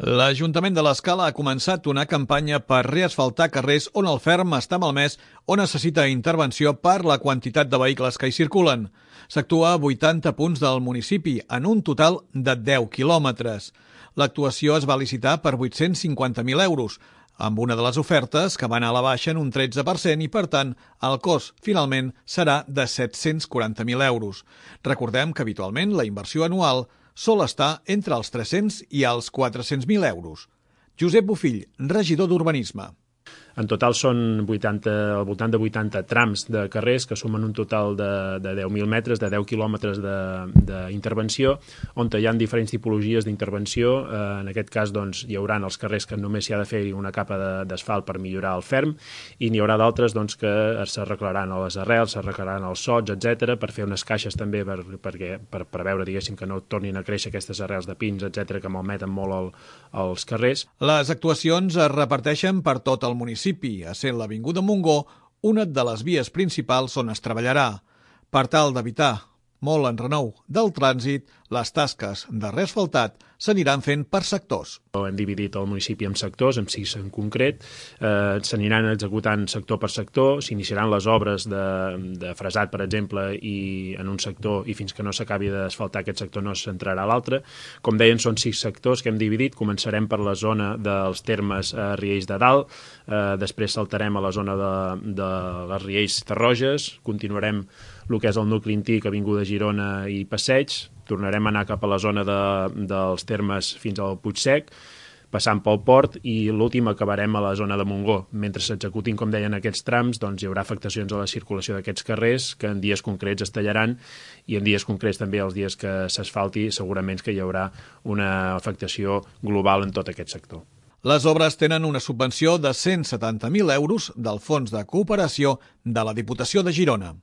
L'Ajuntament de l'Escala ha començat una campanya per reasfaltar carrers on el ferm està malmès o necessita intervenció per la quantitat de vehicles que hi circulen. S'actua a 80 punts del municipi, en un total de 10 quilòmetres. L'actuació es va licitar per 850.000 euros, amb una de les ofertes que va anar a la baixa en un 13% i, per tant, el cost finalment serà de 740.000 euros. Recordem que habitualment la inversió anual sol estar entre els 300 i els 400.000 euros. Josep Bofill, regidor d'Urbanisme. En total són al voltant de 80 trams de carrers que sumen un total de 10.000 metres, de 10 quilòmetres d'intervenció, on hi ha diferents tipologies d'intervenció. En aquest cas hi haurà els carrers que només s'hi ha de fer una capa d'asfalt per millorar el ferm, i n'hi haurà d'altres que s'arreglaran a les arrels, s'arreglaran els sots, etc., per fer unes caixes també per preveure, diguéssim, que no tornin a créixer aquestes arrels de pins, etc., que malmeten molt els carrers. Les actuacions es reparteixen per tot el municipi, essent l'Avinguda Montgó una de les vies principals on es treballarà. Per tal d'evitar molt enrenou del trànsit, les tasques de reasfaltat s'aniran fent per sectors. Hem dividit el municipi en sectors, en 6 en concret, s'aniran executant sector per sector, s'iniciaran les obres de fresat, per exemple, i en un sector, i fins que no s'acabi d'asfaltar aquest sector no s'entrarà a l'altre. Com deien, són 6 sectors que hem dividit. Començarem per la zona dels termes Riells de Dalt, després saltarem a la zona de les Riells Tarroges, continuarem el que és el nucli antic, Avinguda Girona i Passeig, tornarem a anar cap a la zona dels termes fins al Puigsec, passant pel port, i l'últim acabarem a la zona de Montgó. Mentre s'executin, com deien, aquests trams, hi haurà afectacions a la circulació d'aquests carrers que en dies concrets es tallaran, i en dies concrets també, els dies que s'asfalti, segurament que hi haurà una afectació global en tot aquest sector. Les obres tenen una subvenció de 170.000 euros del Fons de Cooperació de la Diputació de Girona.